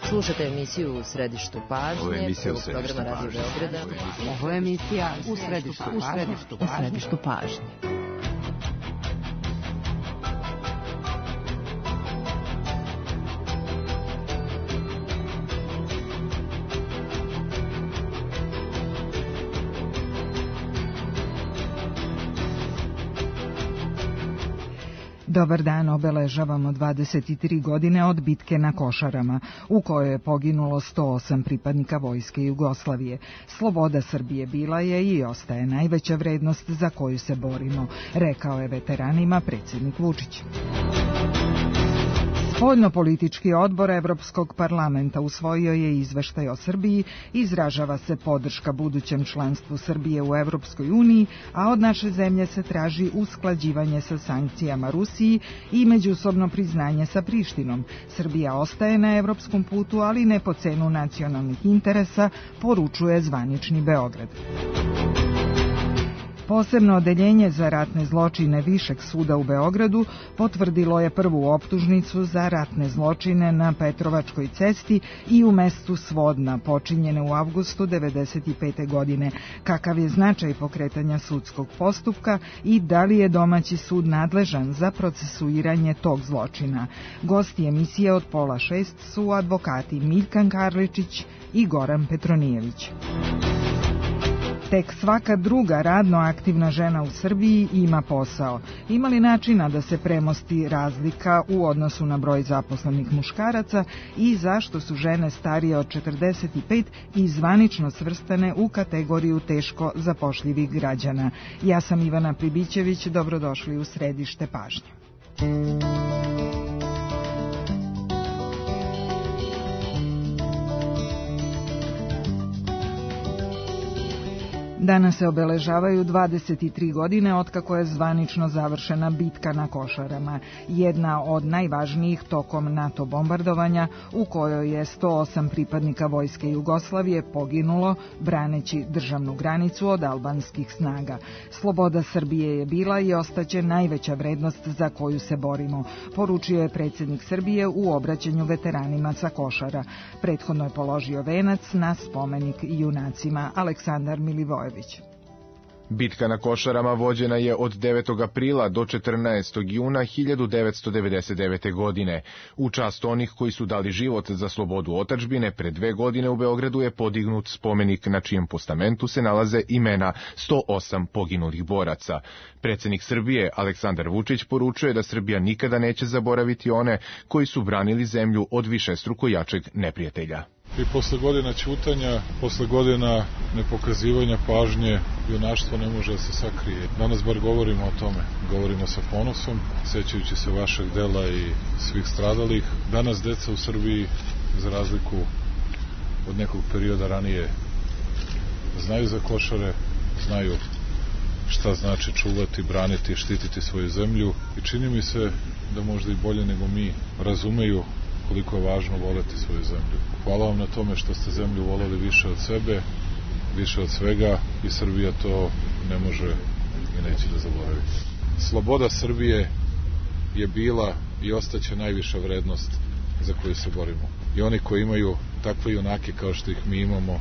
Slušate emisiju U središtu pažnje, prvog programa Radio Beograda. Ovo je emisija U središtu pažnje. Dobar dan, obeležavamo 23 godine od bitke na Košarama, u kojoj je poginulo 108 pripadnika Vojske Jugoslavije. Sloboda Srbije bila je i ostaje najveća vrednost za koju se borimo, rekao je veteranima predsjednik Vučić. Spoljnopolitički odbor Evropskog parlamenta usvojio je izveštaj o Srbiji, izražava se podrška budućem članstvu Srbije u Evropskoj uniji, a od naše zemlje se traži usklađivanje sa sankcijama Rusiji i međusobno priznanje sa Prištinom. Srbija ostaje na evropskom putu, ali ne po cenu nacionalnih interesa, poručuje zvanični Beograd. Posebno odeljenje za ratne zločine Višeg suda u Beogradu potvrdilo je prvu optužnicu za ratne zločine na Petrovačkoj cesti i u mestu Svodna, počinjene u avgustu 1995. godine. Kakav je značaj pokretanja sudskog postupka i da li je domaći sud nadležan za procesuiranje tog zločina? Gosti emisije od 5:30 su advokati Miljkan Karličić i Goran Petronijević. Tek svaka druga radno aktivna žena u Srbiji ima posao. Ima li načina da se premosti razlika u odnosu na broj zaposlenih muškaraca i zašto su žene starije od 45 i zvanično svrstane u kategoriju teško zapošljivih građana? Ja sam Ivana Pribićević, dobrodošli u središte pažnje. Danas se obeležavaju 23 godine otkako je zvanično završena bitka na Košarama, jedna od najvažnijih tokom NATO bombardovanja u kojoj je 108 pripadnika Vojske Jugoslavije poginulo braneći državnu granicu od albanskih snaga. Sloboda Srbije je bila i ostaće najveća vrednost za koju se borimo, poručio je predsjednik Srbije u obraćanju veteranima sa Košara. Prethodno je položio venac na spomenik junacima. Aleksandar Milivojević. Bitka na Košarama vođena je od 9. aprila do 14. juna 1999. godine. U čast onih koji su dali život za slobodu otadžbine, pre 2 godine u Beogradu je podignut spomenik na čijem postamentu se nalaze imena 108 poginulih boraca. Predsjednik Srbije Aleksandar Vučić poručuje da Srbija nikada neće zaboraviti one koji su branili zemlju od višestruko jačeg neprijatelja. I posle godina ćutanja, posle godina nepokazivanja pažnje, junaštvo ne može da se sakrije. Danas bar govorimo o tome. Govorimo sa ponosom, sećajući se vašeg dela i svih stradalih. Danas deca u Srbiji, za razliku od nekog perioda ranije, znaju za Košare, znaju šta znači čuvati, braniti, štititi svoju zemlju i čini mi se da možda i bolje nego mi razumeju koliko je važno voleti svoju zemlju. Hvala vam na tome što ste zemlju voleli više od sebe, više od svega i Srbija to ne može i neće da zaboravi. Sloboda Srbije je bila i ostaće najviša vrednost za koju se borimo. I oni koji imaju takve junake kao što ih mi imamo,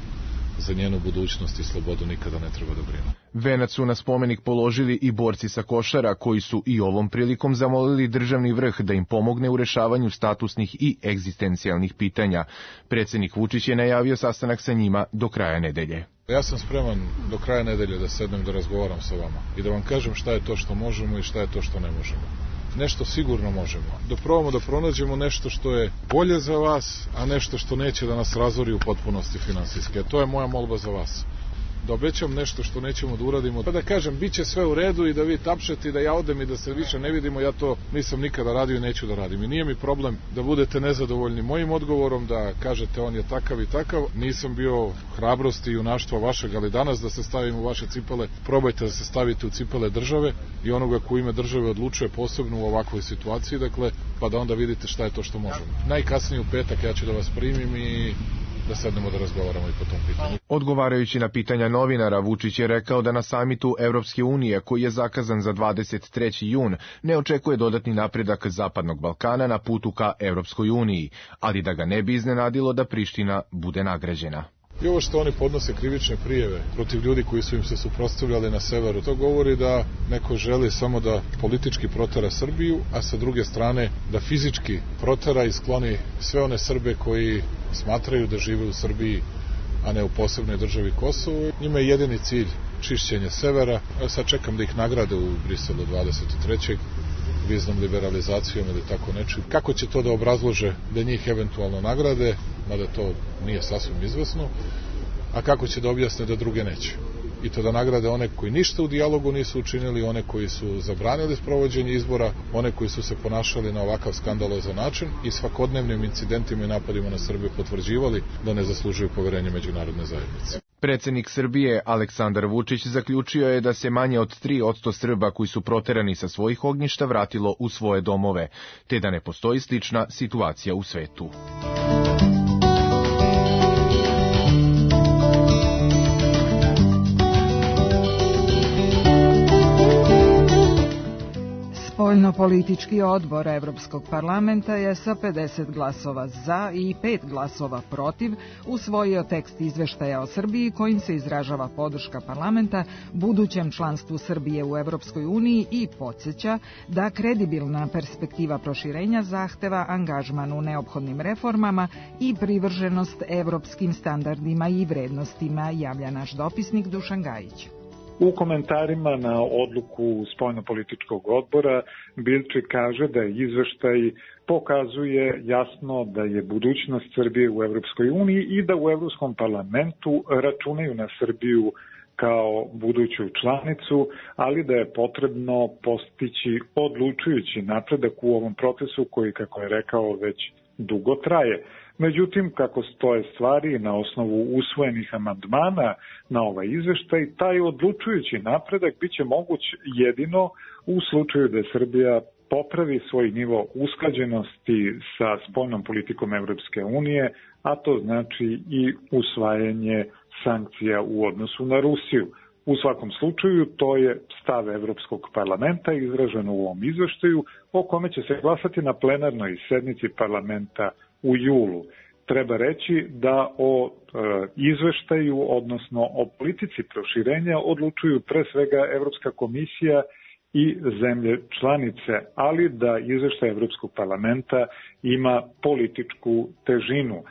za njenu budućnost i slobodu nikada ne treba da brinu. Venac su na spomenik položili i borci sa Košara, koji su i ovom prilikom zamolili državni vrh da im pomogne u rešavanju statusnih i egzistencijalnih pitanja. Predsjednik Vučić je najavio sastanak sa njima do kraja nedelje. Ja sam spreman do kraja nedelje da sednem da razgovaram sa vama i da vam kažem šta je to što možemo i šta je to što ne možemo. Nešto sigurno možemo. Da probamo da pronađemo nešto što je bolje za vas, a nešto što neće da nas razori u potpunosti finansijske. To je moja molba za vas. Da obećam nešto što nećemo da uradimo. Pa da kažem, bit će sve u redu i da vi tapšete i da ja odem i da se više ne vidimo, ja to nisam nikada radio i neću da radim. I nije mi problem da budete nezadovoljni mojim odgovorom, da kažete on je takav i takav. Nisam bio hrabrosti i junaštva vašeg, ali danas da se stavim u vaše cipele, probajte da se stavite u cipele države i onoga ko ime države odlučuje posebno u ovakvoj situaciji, dakle, pa da onda vidite šta je to što možemo. Najkasnije u petak ja ću da vas primim i da sednemo da razgovaramo i po tom pitanju. Odgovarajući na pitanja novinara, Vučić je rekao da na samitu Evropske unije, koji je zakazan za 23. jun, ne očekuje dodatni napredak Zapadnog Balkana na putu ka Evropskoj uniji, ali da ga ne bi iznenadilo da Priština bude nagrađena. I ovo što oni podnose krivične prijeve protiv ljudi koji su im se suprotstavljali na severu, to govori da neko želi samo da politički protera Srbiju, a sa druge strane da fizički protera i skloni sve one Srbe koji smatraju da žive u Srbiji, a ne u posebnoj državi Kosovo. Njima je jedini cilj čišćenje severa. Sad čekam da ih nagrade u Briselu 23. viznom liberalizacijom ili tako nečim. Kako će to da obrazlože da njih eventualno nagrade, mada to nije sasvim izvesno, a kako će da objasne da druge neće. I to da nagrade one koji ništa u dijalogu nisu učinili, one koji su zabranili sprovođenje izbora, one koji su se ponašali na ovakav skandalozan način i svakodnevnim incidentima i napadima na Srbiju potvrđivali da ne zaslužuju poverenje međunarodne zajednice. Predsjednik Srbije Aleksandar Vučić zaključio je da se manje od 3% Srba koji su proterani sa svojih ognjišta vratilo u svoje domove, te da ne postoji slična situacija u svetu. Spoljnopolitički odbor Evropskog parlamenta je sa 50 glasova za i 5 glasova protiv usvojio tekst izveštaja o Srbiji kojim se izražava podrška parlamenta budućem članstvu Srbije u Evropskoj uniji i podsjeća da kredibilna perspektiva proširenja zahteva angažman u neophodnim reformama i privrženost evropskim standardima i vrednostima, javlja naš dopisnik Dušan Gajić. U komentarima na odluku spoljnopolitičkog odbora Bilčik kaže da izveštaj pokazuje jasno da je budućnost Srbije u Evropskoj uniji i da u Evropskom parlamentu računaju na Srbiju kao buduću članicu, ali da je potrebno postići odlučujući napredak u ovom procesu koji, kako je rekao, već dugo traje. Međutim, kako stoje stvari na osnovu usvojenih amandmana na ovaj izveštaj, taj odlučujući napredak biće moguć jedino u slučaju da Srbija popravi svoj nivo usklađenosti sa spoljnom politikom Evropske unije, a to znači i usvajanje sankcija u odnosu na Rusiju. U svakom slučaju, to je stav Evropskog parlamenta izražen u ovom izveštaju, o kome će se glasati na plenarnoj sednici parlamenta u julu. Treba reći da o izveštaju, odnosno o politici proširenja, odlučuju pre svega Evropska komisija i zemlje članice, ali da izveštaj Evropskog parlamenta ima političku težinu.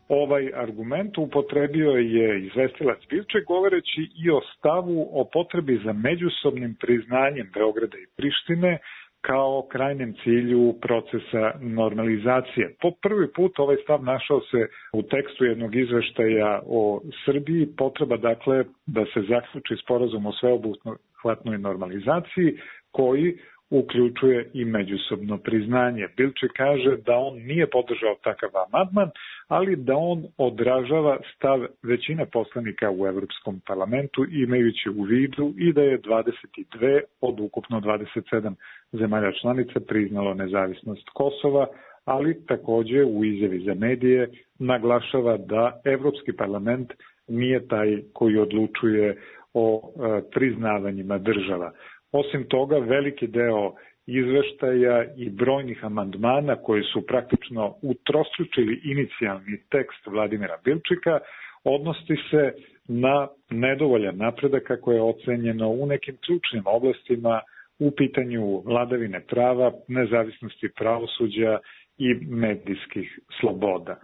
Ovaj argument upotrebio je izvestilac Bilček govoreći i o stavu o potrebi za međusobnim priznanjem Beograda i Prištine kao krajnjem cilju procesa normalizacije. Po prvi put ovaj stav našao se u tekstu jednog izveštaja o Srbiji, potreba dakle da se zaključi sporazum o sveobuhvatnoj normalizaciji koji uključuje i međusobno priznanje. Bilček kaže da on nije podržao takav amandman, ali da on odražava stav većine poslanika u Evropskom parlamentu, imajući u vidu i da je 22 od ukupno 27 zemalja članica priznalo nezavisnost Kosova, ali takođe u izjavi za medije naglašava da Evropski parlament nije taj koji odlučuje o priznavanjima država. Osim toga, veliki deo izveštaja i brojnih amandmana koji su praktično utrostručili inicijalni tekst Vladimira Bilčika odnosi se na nedovoljan napredak kako je ocenjeno u nekim ključnim oblastima u pitanju vladavine prava, nezavisnosti pravosuđa i medijskih sloboda.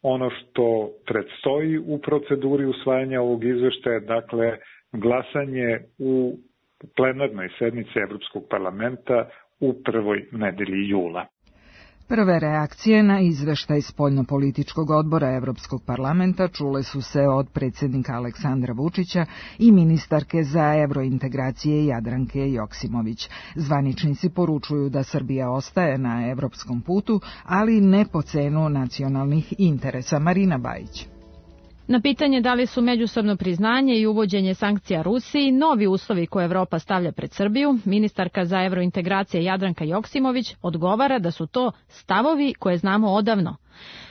Ono što predstoji u proceduri usvajanja ovog izveštaja, dakle, glasanje u plenarnoj sednici Evropskog parlamenta u prvoj nedelji jula. Prve reakcije na izveštaj spoljnopolitičkog odbora Evropskog parlamenta čule su se od predsjednika Aleksandra Vučića i ministarke za evrointegracije Jadranke Joksimović. Zvaničnici poručuju da Srbija ostaje na evropskom putu, ali ne po cenu nacionalnih interesa. Marina Bajić. Na pitanje da li su međusobno priznanje i uvođenje sankcija Rusiji novi uslovi koje Evropa stavlja pred Srbiju, ministarka za evrointegracije Jadranka Joksimović odgovara da su to stavovi koje znamo odavno.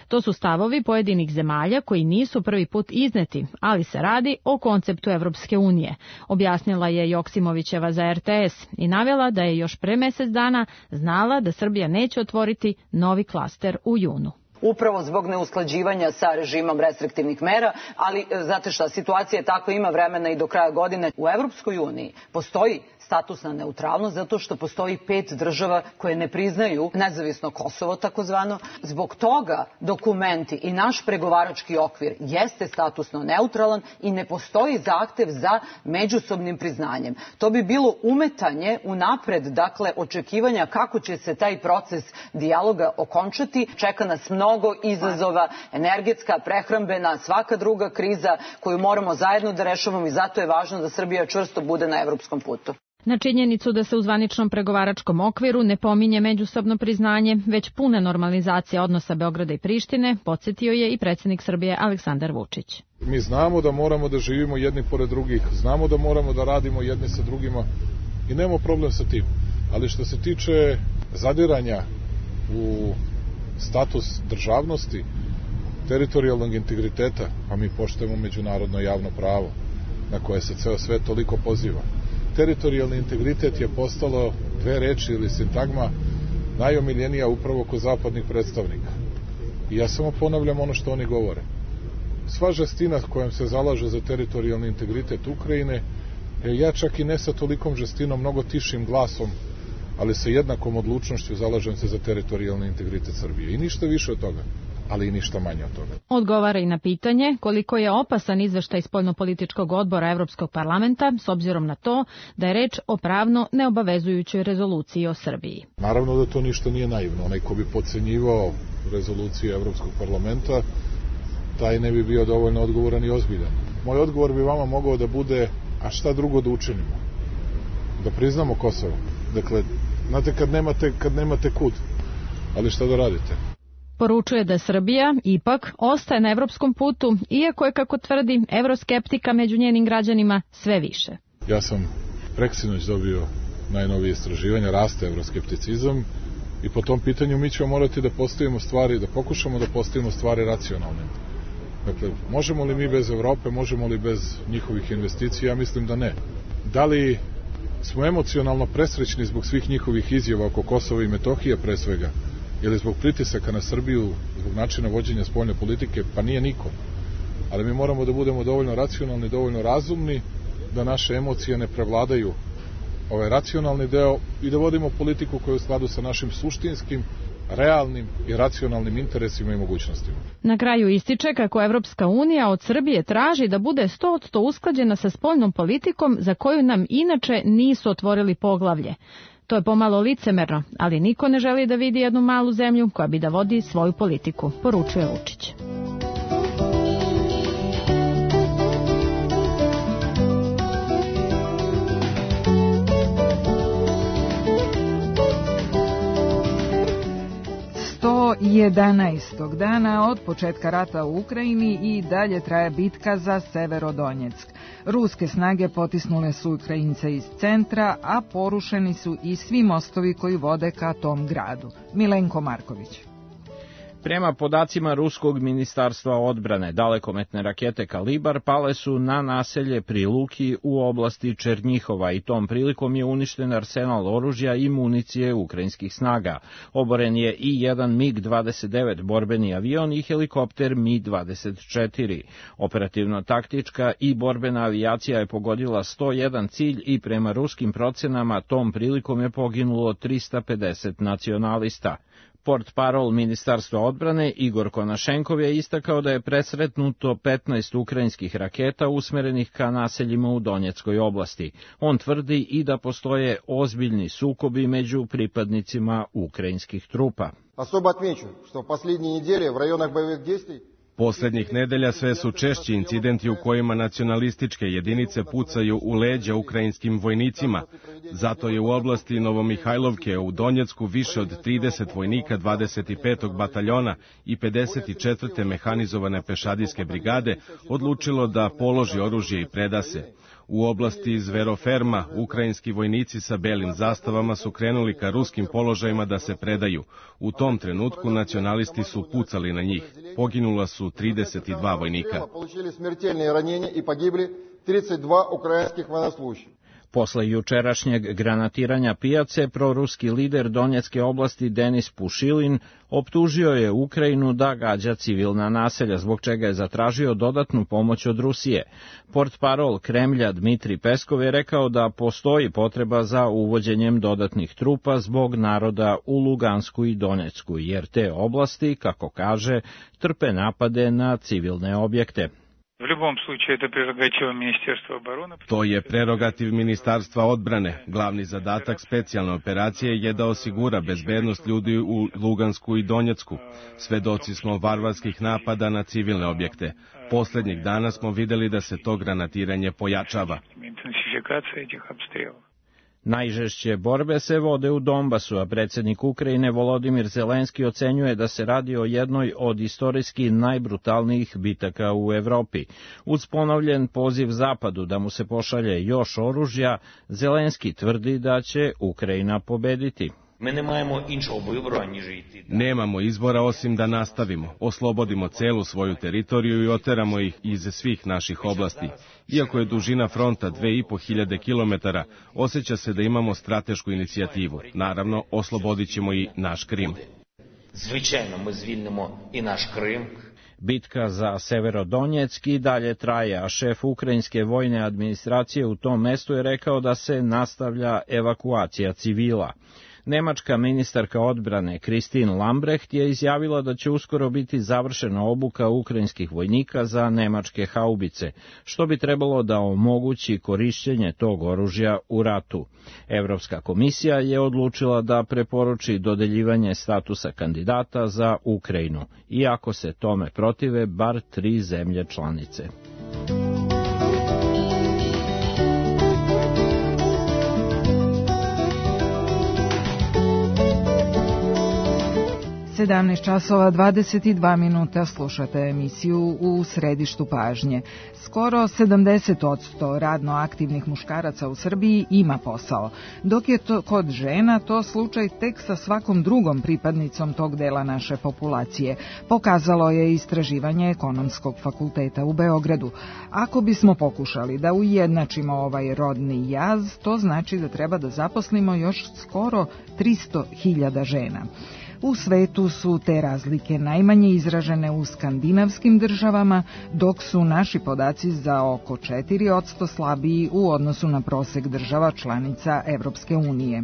To su stavovi pojedinih zemalja koji nisu prvi put izneti, ali se radi o konceptu Evropske unije, objasnila je Joksimovićeva za RTS i navela da je još pre mesec dana znala da Srbija neće otvoriti novi klaster u junu. Upravo zbog neusklađivanja sa režimom restriktivnih mera, ali znate šta, situacija je takva, ima vremena i do kraja godine. U Evropskoj uniji postoji statusna neutralnost zato što postoji 5 država koje ne priznaju nezavisno Kosovo takozvano. Zbog toga dokumenti i naš pregovarački okvir jeste statusno neutralan i ne postoji zahtev za međusobnim priznanjem. To bi bilo umetanje unapred, dakle očekivanja kako će se taj proces dijaloga okončati. Čeka nas mnogo izazova, energetska, prehrambena, svaka druga kriza koju moramo zajedno da rešavamo i zato je važno da Srbija čvrsto bude na evropskom putu. Na činjenicu da se u zvaničnom pregovaračkom okviru ne pominje međusobno priznanje, već puna normalizacija odnosa Beograda i Prištine, podsjetio je i predsjednik Srbije Aleksandar Vučić. Mi znamo da moramo da živimo jedni pored drugih, znamo da moramo da radimo jedni sa drugima i nemamo problem sa tim. Ali što se tiče zadiranja u status državnosti, teritorijalnog integriteta, a mi poštujemo međunarodno javno pravo na koje se ceo svet toliko poziva. Teritorijalni integritet je postalo 2 reči ili sintagma najomiljenija upravo kod zapadnih predstavnika. I ja samo ponavljam ono što oni govore. Sva žestina kojom se zalaže za teritorijalni integritet Ukrajine, ja čak i ne sa tolikom žestinom, mnogo tišim glasom, ali sa jednakom odlučnošću zalažem se za teritorijalni integritet Srbije. I ništa više od toga, ali i ništa manje od toga. Odgovara i na pitanje koliko je opasan izveštaj Spoljnopolitičkog odbora Evropskog parlamenta s obzirom na to da je reč o pravno neobavezujućoj rezoluciji o Srbiji. Naravno da to ništa nije naivno. Onaj ko bi podcenjivao rezoluciju Evropskog parlamenta, taj ne bi bio dovoljno odgovoran i ozbiljan. Moj odgovor bi vama mogao da bude, a šta drugo da učinimo? Da priznamo Kosovo. Dakle, znate kad nemate kud, ali šta da radite? Poručuje da Srbija ipak ostaje na evropskom putu, iako je, kako tvrdi, evroskeptika među njenim građanima sve više. Ja sam preksinoć dobio najnovije istraživanja, raste evroskepticizam i po tom pitanju mi ćemo morati da postavimo stvari, da pokušamo da postavimo stvari racionalne. Dakle, možemo li mi bez Evrope, možemo li bez njihovih investicija? Ja mislim da ne. Da li smo emocionalno presrećni zbog svih njihovih izjava oko Kosova i Metohije pre svega? Ili zbog pritisaka na Srbiju, zbog načina vođenja spoljne politike? Pa nije niko. Ali mi moramo da budemo dovoljno racionalni, dovoljno razumni, da naše emocije ne prevladaju ovaj racionalni deo i da vodimo politiku koja je u skladu sa našim suštinskim, realnim i racionalnim interesima i mogućnostima. Na kraju ističe kako Evropska unija od Srbije traži da bude 100% usklađena sa spoljnom politikom za koju nam inače nisu otvorili poglavlje. To je pomalo licemerno, ali niko ne želi da vidi jednu malu zemlju koja bi da vodi svoju politiku, poručuje Vučić. Do 11. dana od početka rata u Ukrajini i dalje traje bitka za Severodonjeck. Ruske snage potisnule su Ukrajince iz centra, a porušeni su i svi mostovi koji vode ka tom gradu. Milenko Marković. Prema podacima Ruskog ministarstva odbrane, dalekometne rakete Kalibar pale su na naselje pri Luki u oblasti Černjihova i tom prilikom je uništen arsenal oružja i municije ukrajinskih snaga. Oboren je i jedan MiG-29 borbeni avion i helikopter Mi-24. Operativno-taktička i borbena avijacija je pogodila 101 cilj i prema ruskim procenama tom prilikom je poginulo 350 nacionalista. Portparol Ministarstva odbrane Igor Konašenkov je istakao da je presretnuto 15 ukrajinskih raketa usmerenih ka naseljima u Donjeckoj oblasti. On tvrdi i da postoje ozbiljni sukobi među pripadnicima ukrajinskih trupa. Особо отмечу, что в последние недели в районах боевых действий Poslednjih nedelja sve su češći incidenti u kojima nacionalističke jedinice pucaju u leđa ukrajinskim vojnicima. Zato je u oblasti Novomihajlovke u Donjecku više od 30 vojnika 25. bataljona i 54. mehanizovane pešadijske brigade odlučilo da položi oružje i preda se. U oblasti Zveroferma ukrajinski vojnici sa belim zastavama su krenuli ka ruskim položajima da se predaju. U tom trenutku nacionalisti su pucali na njih. Poginula su 32 vojnika. Posle jučerašnjeg granatiranja pijace, proruski lider Donjecke oblasti Denis Pušilin optužio je Ukrajinu da gađa civilna naselja, zbog čega je zatražio dodatnu pomoć od Rusije. Portparol Kremlja Dmitri Peskov je rekao da postoji potreba za uvođenjem dodatnih trupa zbog naroda u Lugansku i Donjecku, jer te oblasti, kako kaže, trpe napade na civilne objekte. To je prerogativ Ministarstva odbrane. Glavni zadatak specijalne operacije je da osigura bezbednost ljudi u Lugansku i Donjecku. Svedoci smo varvarskih napada na civilne objekte. Poslednjih dana smo videli da se to granatiranje pojačava. Najžešće borbe se vode u Donbasu, a predsjednik Ukrajine Volodimir Zelenski ocenjuje da se radi o jednoj od istorijski najbrutalnijih bitaka u Evropi. Uz ponovljen poziv Zapadu da mu se pošalje još oružja, Zelenski tvrdi da će Ukrajina pobediti. Nemamo izbora osim da nastavimo, oslobodimo celu svoju teritoriju i oteramo ih iz svih naših oblasti. Iako je dužina fronta 2500 km, osjeća se da imamo stratešku inicijativu. Naravno, oslobodit ćemo i naš Krim. Bitka za Severodonjeck i dalje traje, a šef ukrajinske vojne administracije u tom mestu je rekao da se nastavlja evakuacija civila. Nemačka ministarka odbrane Christine Lambrecht je izjavila da će uskoro biti završena obuka ukrajinskih vojnika za nemačke haubice, što bi trebalo da omogući korišćenje tog oružja u ratu. Evropska komisija je odlučila da preporuči dodeljivanje statusa kandidata za Ukrajinu, iako se tome protive bar 3 zemlje članice. 17 časova 22 minuta slušate emisiju U središtu pažnje. Skoro 70% radno aktivnih muškaraca u Srbiji ima posao, dok je to kod žena to slučaj tek sa svakom drugom pripadnicom tog dela naše populacije, pokazalo je istraživanje Ekonomskog fakulteta u Beogradu. Ako bismo pokušali da ujednačimo ovaj rodni jaz, to znači da treba da zaposlimo još skoro 300.000 žena. U svetu su te razlike najmanje izražene u skandinavskim državama, dok su naši podaci za oko 4% slabiji u odnosu na prosek država članica Evropske unije.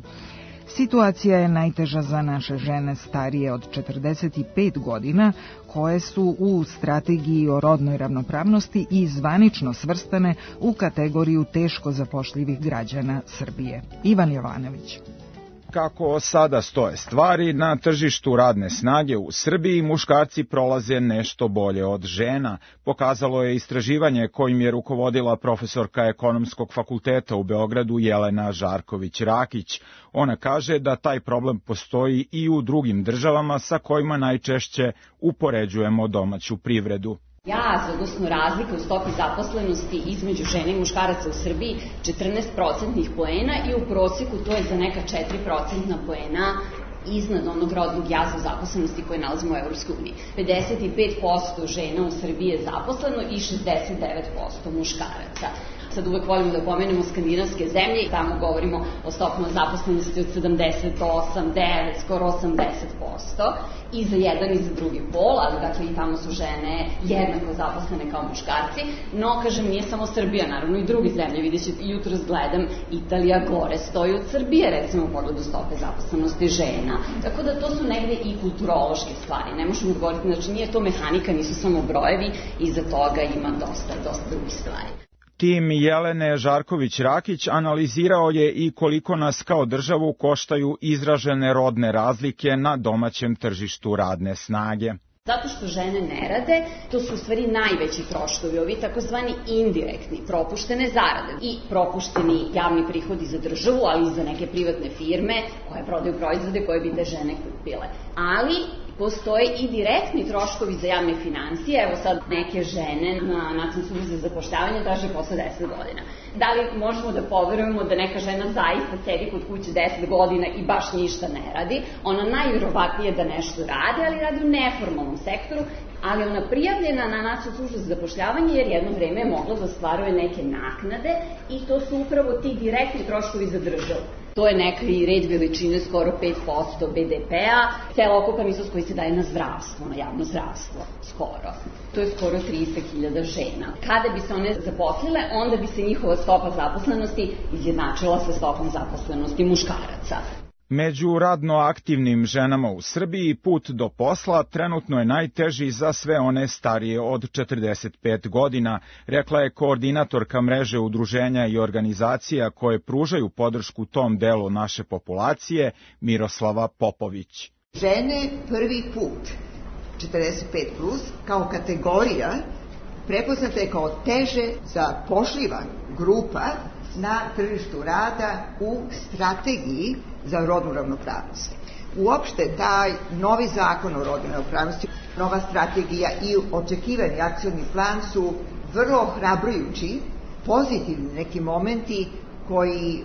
Situacija je najteža za naše žene starije od 45 godina, koje su u strategiji o rodnoj ravnopravnosti i zvanično svrstane u kategoriju teško zapošljivih građana Srbije. Ivan Jovanović. Kako sada stoje stvari, na tržištu radne snage u Srbiji muškarci prolaze nešto bolje od žena, pokazalo je istraživanje kojim je rukovodila profesorka Ekonomskog fakulteta u Beogradu Jelena Žarković-Rakić. Ona kaže da taj problem postoji i u drugim državama sa kojima najčešće upoređujemo domaću privredu. Jaz, odnosno razlika u stopi zaposlenosti između žena i muškaraca u Srbiji 14% poena i u proseku to je za neka 4% poena iznad onog rodnog jaza zaposlenosti koje nalazimo u Evropskoj uniji. 55% žena u Srbiji je zaposleno i 69% muškaraca. Sad uvek volimo da pomenemo skandinavske zemlje i tamo govorimo o stopama zaposlenosti od 78, 9, skoro 80% i za jedan i za drugi pol, ali dakle i tamo su žene jednako zaposlene kao muškarci, no kažem nije samo Srbija, naravno i druge zemlje, vidjet ćete jutro gledam Italija gore stoji od Srbije recimo u pogledu stope zaposlenosti žena, tako da to su negde i kulturološke stvari, ne možemo govoriti, znači nije to mehanika, nisu samo brojevi, iza toga ima dosta drugih stvari. Tim Jelene Žarković-Rakić analizirao je i koliko nas kao državu koštaju izražene rodne razlike na domaćem tržištu radne snage. Zato što žene ne rade, to su u stvari najveći troškovi, ovi takozvani indirektni, propuštene zarade i propušteni javni prihodi za državu, ali i za neke privatne firme koje prodaju proizvode koje bi te žene kupile. Ali postoje i direktni troškovi za javne finansije. Evo sad neke žene na Nacionalnoj službi za zapošljavanje traže posle 10 godina. Da li možemo da poverujemo da neka žena zaista sedi kod kuće 10 godina i baš ništa ne radi? Ona najvjerovatnije da nešto radi, ali radi u neformalnom sektoru, ali ona prijavljena na Nacionalnu službu za zapošljavanje jer jedno vreme je mogla da ostvaruje neke naknade i to su upravo ti direktni troškovi za državu. To je neki red veličine skoro 5% BDP-a, celokupan iznos koji se daje na zdravstvo, na javno zdravstvo, skoro. To je skoro 300.000 žena. Kada bi se one zaposlile, onda bi se njihova stopa zaposlenosti izjednačila sa stopom zaposlenosti muškaraca. Među radno aktivnim ženama u Srbiji put do posla trenutno je najteži za sve one starije od 45 godina, rekla je koordinatorka mreže udruženja i organizacija koje pružaju podršku tom delu naše populacije, Miroslava Popović. Žene prvi put, 45+, kao kategorija, prepoznata je kao teže zapošljiva grupa na tržištu rada u strategiji za rodnu ravnopravnost. Uopšte taj novi zakon o rodnoj ravnopravnosti, nova strategija i očekivani akcioni plan su vrlo ohrabrujući, pozitivni neki momenti koji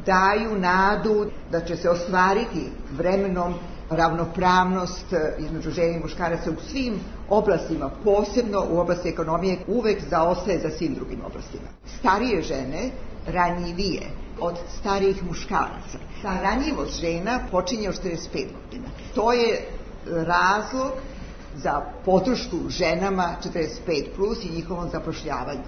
daju nadu da će se ostvariti vremenom ravnopravnost između žena i muškaraca u svim oblastima, posebno u oblasti ekonomije, uvek zaostaje za svim drugim oblastima. Starije žene ranjivije od starijih muškaraca. Ta ranjivost žena počinje od 45 godina. To je razlog za podršku ženama 45+ i njihovom zapošljavanju.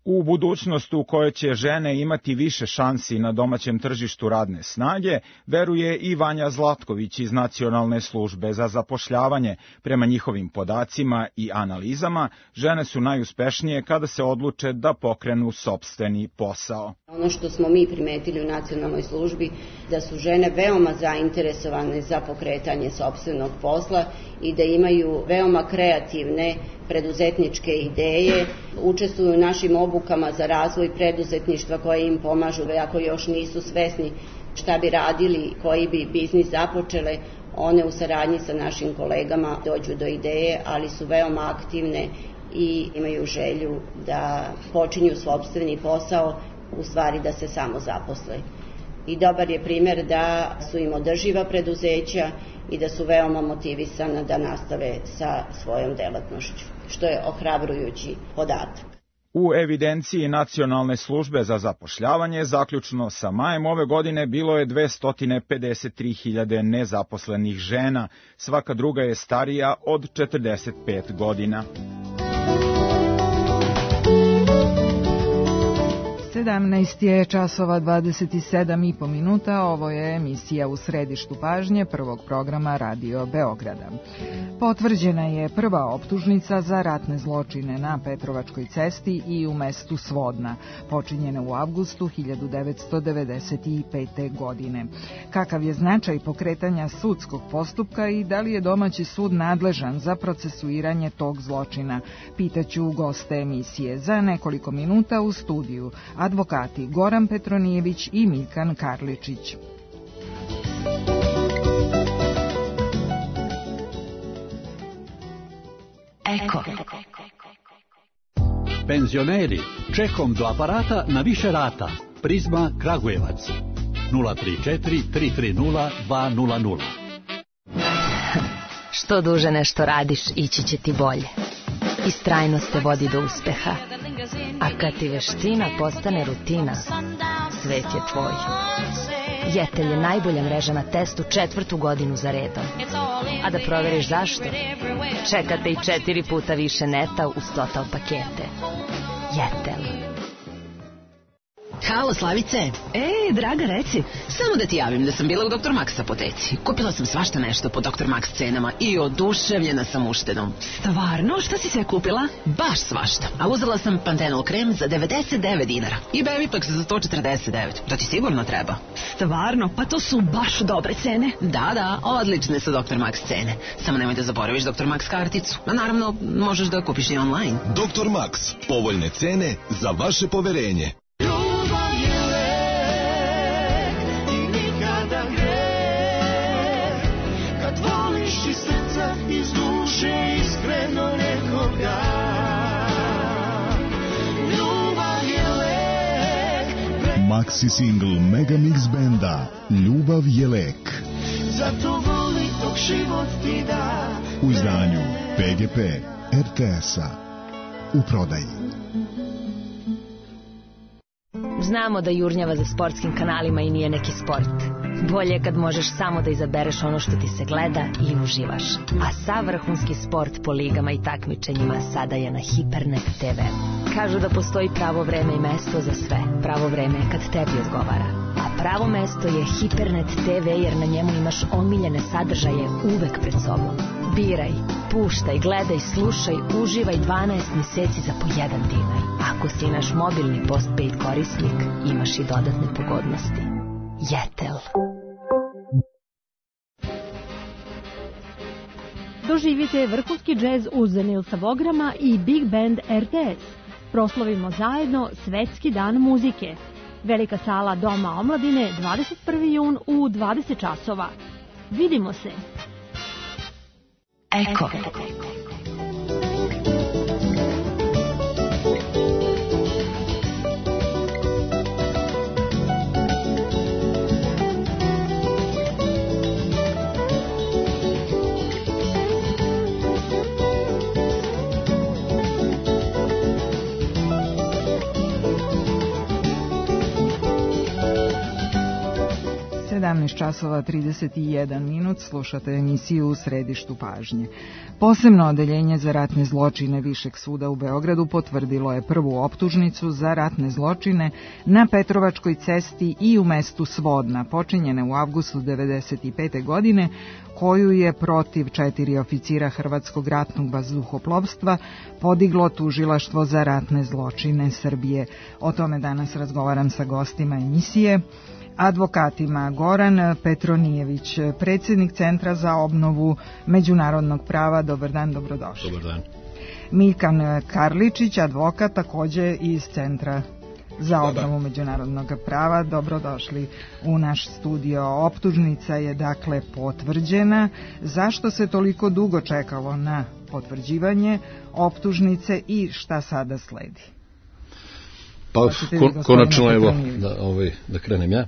U budućnost u kojoj će žene imati više šansi na domaćem tržištu radne snage, veruje i Vanja Zlatković iz Nacionalne službe za zapošljavanje. Prema njihovim podacima i analizama, žene su najuspešnije kada se odluče da pokrenu sopstveni posao. Ono što smo mi primetili u Nacionalnoj službi, da su žene veoma zainteresovane za pokretanje sopstvenog posla i da imaju veoma kreativne preduzetničke ideje, učestvuju u našim obukama za razvoj preduzetništva koje im pomažu, ako još nisu svesni šta bi radili, koji bi biznis započele, one u saradnji sa našim kolegama dođu do ideje, ali su veoma aktivne i imaju želju da počinju sopstveni posao, u stvari da se samo zaposle. I dobar je primjer da su im održiva preduzeća i da su veoma motivisana da nastave sa svojom delatnošću, što je ohrabrujući podatak. U evidenciji Nacionalne službe za zapošljavanje zaključno sa majem ove godine bilo je 253.000 nezaposlenih žena, svaka druga je starija od 45 godina. 17 je časova 27,5 minuta, ovo je emisija U središtu pažnje prvog programa Radio Beograda. Potvrđena je prva optužnica za ratne zločine na Petrovačkoj cesti i u mestu Svodna, počinjene u avgustu 1995. godine. Kakav je značaj pokretanja sudskog postupka i da li je domaći sud nadležan za procesuiranje tog zločina? Pitaću goste emisije za nekoliko minuta u studiju. Advokati Goran Petronijević i Milkan Karličić. Eko. Penzioneri, čekom do aparata na više rata. Prizma Kragujevac. 034 330 200. Što duže nešto radiš, ići će ti bolje. Istrajnost te vodi do uspeha. A kad ti veština postane rutina, svet je tvoj. Jetel je najbolja mreža na testu 4. godinu za redom. A da proveriš zašto? Čekate i 4 puta više neta uz Total pakete. Jetel. Halo, Slavice. Draga, reci. Samo da ti javim da sam bila u Dr. Max apoteci. Kupila sam svašta nešto po Dr. Max cenama i oduševljena sam uštedom. Stvarno? Šta si sve kupila? Baš svašta. A uzela sam Pantenol krem za 99 dinara i Bevipax za 149. Da ti sigurno treba. Stvarno? Pa to su baš dobre cene. Da, odlične su Dr. Max cene. Samo nemoj da zaboraviš Dr. Max karticu. A naravno, možeš da kupiš i online. Dr. Max. Povoljne cene za vaše poverenje. Maxi single Megamix benda Ljubav je lek. Zato voli dok život ti da. U izdanju PGP RTS-a. U prodaji. Znamo da jurnjava za sportskim kanalima i nije neki sport. Bolje kad možeš samo da izabereš ono što ti se gleda i uživaš. A sav vrhunski sport po ligama i takmičenjima sada je na Hipernet TV. Kažu da postoji pravo vreme i mesto za sve. Pravo vreme je kad tebi odgovara. A pravo mesto je Hipernet TV jer na njemu imaš omiljene sadržaje uvek pred sobom. Biraj, puštaj, gledaj, slušaj, uživaj 12 mjeseci za po 1 dinar. Ako si naš mobilni postpaid korisnik, imaš i dodatne pogodnosti. Jetel. Doživite vrhunski džez uz Nilsa Vograma i Big Band RTS. Proslavimo zajedno Svetski dan muzike. Velika sala Doma omladine 21. jun u 20 časova. Vidimo se. Eko. 17 časova 31 minut, slušate emisiju U središtu pažnje. Posebno odeljenje za ratne zločine Višeg suda u Beogradu potvrdilo je prvu optužnicu za ratne zločine na Petrovačkoj cesti i u mestu Svodna, počinjene u avgustu 1995. godine, koju je protiv 4 oficira Hrvatskog ratnog vazduhoplovstva podiglo tužilaštvo za ratne zločine Srbije. O tome danas razgovaram sa gostima emisije. Advokatima Goran Petronijević, predsjednik Centra za obnovu međunarodnog prava. Dobar dan, dobrodošli. Dobar dan. Milkan Karličić, advokat također iz Centra za obnovu međunarodnog prava. Dobrodošli u naš studio. Optužnica je dakle potvrđena. Zašto se toliko dugo čekalo na potvrđivanje optužnice i šta sada sledi? Pa, konačno, evo, da krenem ja.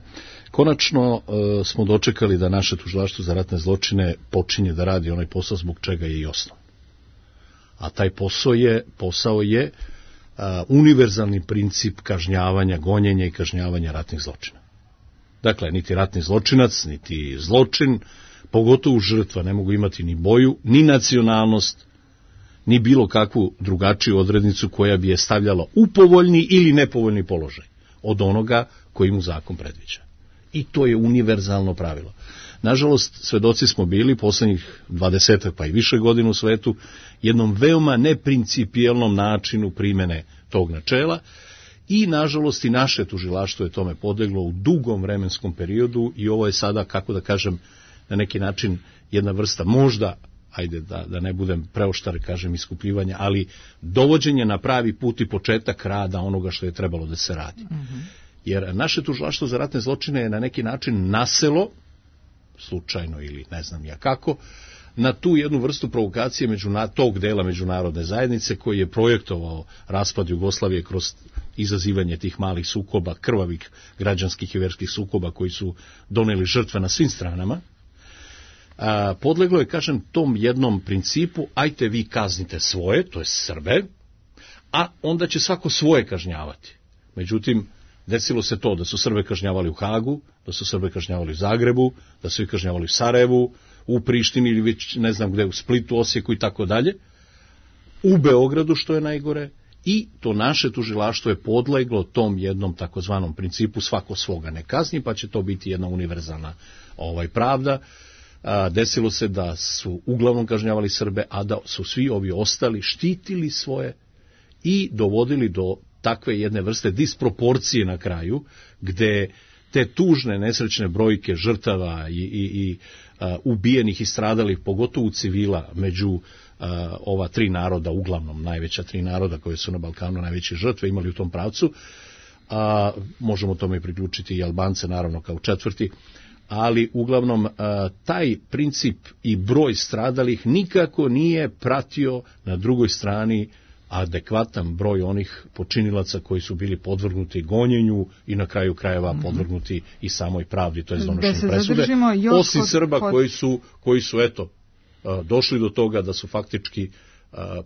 Konačno smo dočekali da naše tužilaštvo za ratne zločine počinje da radi onaj posao zbog čega je i osnovan. A taj posao je univerzalni princip kažnjavanja, gonjenja i kažnjavanja ratnih zločina. Dakle, niti ratni zločinac, niti zločin, pogotovo žrtva, ne mogu imati ni boju, ni nacionalnost, ni bilo kakvu drugačiju odrednicu koja bi je stavljala u povoljni ili nepovoljni položaj od onoga koji mu zakon predviđa. I to je univerzalno pravilo. Nažalost, svedoci smo bili poslednjih 20 pa i više godina u svetu jednom veoma neprincipijelnom načinu primene tog načela i nažalost i naše tužilaštvo je tome podleglo u dugom vremenskom periodu i ovo je sada, kako da kažem, na neki način jedna vrsta možda, ajde da ne budem preoštar, kažem, iskupljivanja, ali dovođenje na pravi put i početak rada onoga što je trebalo da se radi. Jer naše tužilaštvo za ratne zločine je na neki način naselo, slučajno ili ne znam ja kako, na tu jednu vrstu provokacije tog dela međunarodne zajednice koji je projektovao raspad Jugoslavije kroz izazivanje tih malih sukoba, krvavih građanskih i verskih sukoba koji su doneli žrtve na svim stranama. Podleglo je, kažem, tom jednom principu, ajte vi kaznite svoje, to je Srbe, a onda će svako svoje kažnjavati. Međutim, desilo se to da su Srbe kažnjavali u Hagu, da su Srbe kažnjavali u Zagrebu, da su ih kažnjavali u Sarajevu, u Prištini ili već ne znam gde, u Splitu, Osijeku i tako dalje, u Beogradu, što je najgore, i to naše tužilaštvo je podleglo tom jednom takozvanom principu svako svoga ne kazni, pa će to biti jedna univerzalna pravda. Desilo se da su uglavnom kažnjavali Srbe, a da su svi ovi ostali štitili svoje i dovodili do takve jedne vrste disproporcije na kraju, gde te tužne, nesrećne brojke žrtava i ubijenih i stradalih, pogotovo civila, među ova tri naroda, uglavnom najveća tri naroda koje su na Balkanu najveće žrtve imali u tom pravcu, možemo tome i priključiti i Albance, naravno, kao četvrti, ali uglavnom taj princip i broj stradalih nikako nije pratio na drugoj strani adekvatan broj onih počinilaca koji su bili podvrgnuti gonjenju i na kraju krajeva podvrgnuti i samoj pravdi, to je donošenje presude, osim Srba koji su došli do toga da su faktički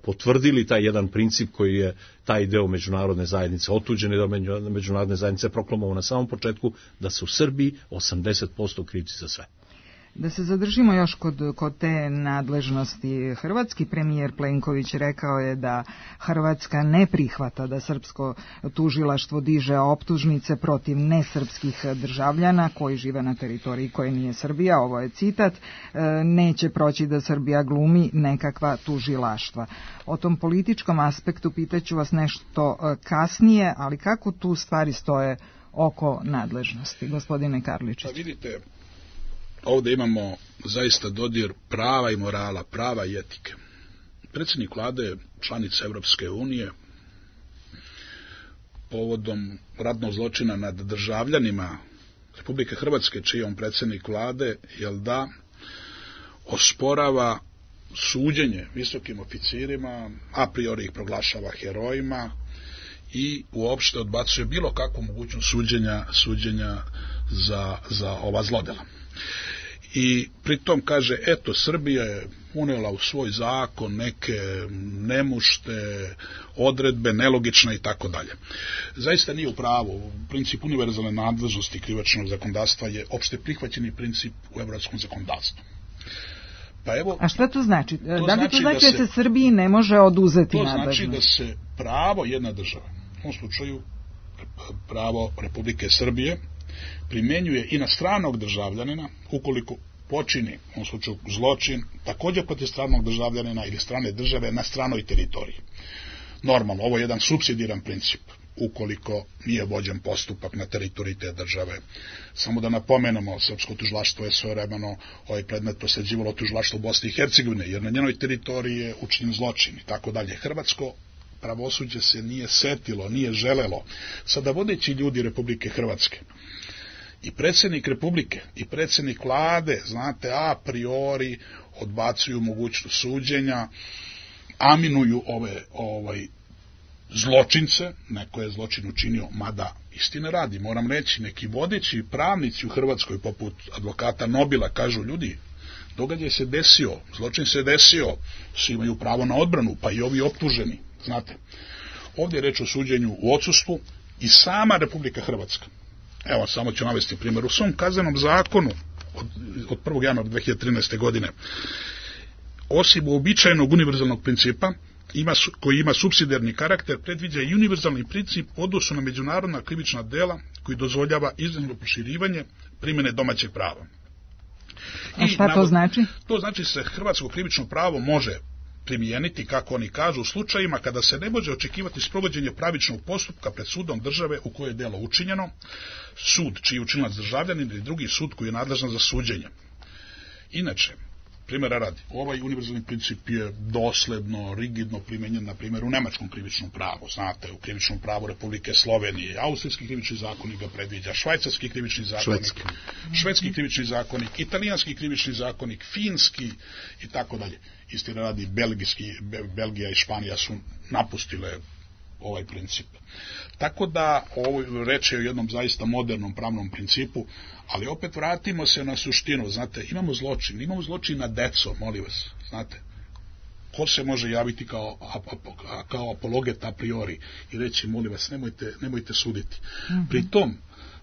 potvrdili taj jedan princip koji je taj deo međunarodne zajednice otuđen i da međunarodne zajednice proklamovao na samom početku da su Srbi 80% krivci za sve. Da se zadržimo još kod te nadležnosti. Hrvatski premijer Plenković rekao je da Hrvatska ne prihvata da srpsko tužilaštvo diže optužnice protiv nesrpskih državljana koji žive na teritoriji koje nije Srbija. Ovo je citat. Neće proći da Srbija glumi nekakva tužilaštva. O tom političkom aspektu pitaću vas nešto kasnije, ali kako tu stvari stoje oko nadležnosti, gospodine Karličić? Pa vidite, ovdje imamo zaista dodir prava i morala, prava i etike. Predsjednik vlade, članica Europske unije, povodom ratnog zločina nad državljanima Republike Hrvatske, čiji je on predsjednik vlade, osporava suđenje visokim oficirima, a priori ih proglašava herojima i uopšte odbacuje bilo kakvu mogućnost suđenja za ova zlodela. I pritom kaže, Srbija je unijela u svoj zakon neke nemušte odredbe, nelogične i tako dalje. Zaista nije u pravu. Princip univerzalne nadležnosti krivičnog zakonodavstva je opšte prihvaćeni princip u evropskom zakonodavstvu. Pa evo, a šta to znači? Da li to znači da se Srbiji ne može oduzeti nadležnost? To znači da se pravo jedne države, u ovom slučaju pravo Republike Srbije, primjenjuje i na stranog državljanina ukoliko počini, u ovom slučaju, zločin također protiv stranog državljanina ili strane države na stranoj teritoriji. Normalno, ovo je jedan supsidiran princip ukoliko nije vođen postupak na teritoriji te države. Samo da napomenemo, srpsko tužilaštvo je svojevremeno ovaj predmet prosleđivalo tužilaštvu Bosne i Hercegovine, jer na njenoj teritoriji je učinjen zločin i tako dalje. Hrvatsko pravosuđe se nije setilo, nije želelo. Sada vodeći ljudi Republike Hrvatske i predsjednik Republike i predsjednik vlade, znate, a priori odbacuju mogućnost suđenja, aminuju ove zločince, neko je zločin učinio, mada istine radi, moram reći, neki vodeći pravnici u Hrvatskoj poput advokata Nobila kažu, ljudi, događaj se desio, zločin se desio, svi imaju pravo na odbranu, pa i ovi optuženi, znate. Ovdje je reč o suđenju u odsustvu i sama Republika Hrvatska. Evo, samo ću navesti primjer. U svom kaznenom zakonu od 1. januara 2013. godine, osim uobičajenog univerzalnog principa, koji ima supsidijarni karakter, predviđa i univerzalni princip u odnosu na međunarodna krivična dela koji dozvoljava iznimno proširivanje primjene domaćeg prava. A šta to znači? To znači da se hrvatsko krivično pravo može primijeniti, kako oni kažu, u slučajima kada se ne može očekivati sprovođenje pravičnog postupka pred sudom države u kojoj je delo učinjeno, sud čiji je učinilac državljanin ili drugi sud koji je nadležan za suđenje. Inače, primjera radi, ovaj univerzalni princip je dosledno, rigidno primjenjen, na primjer, u nemačkom krivičnom pravu, znate, u krivičnom pravu Republike Slovenije, austrijski krivični zakonik ga predviđa, švajcarski krivični zakonik, švedski krivični zakonik, italijanski krivični zakonik, finski i tako dalje. Istina radi, Belgija i Španija su napustile ovaj princip. Tako da ovo reč je o jednom zaista modernom pravnom principu, ali opet vratimo se na suštinu, znate, imamo zločin nad decom, molim vas, znate, ko se može javiti kao apologet a priori i reći, molim vas, nemojte suditi. Pri tom,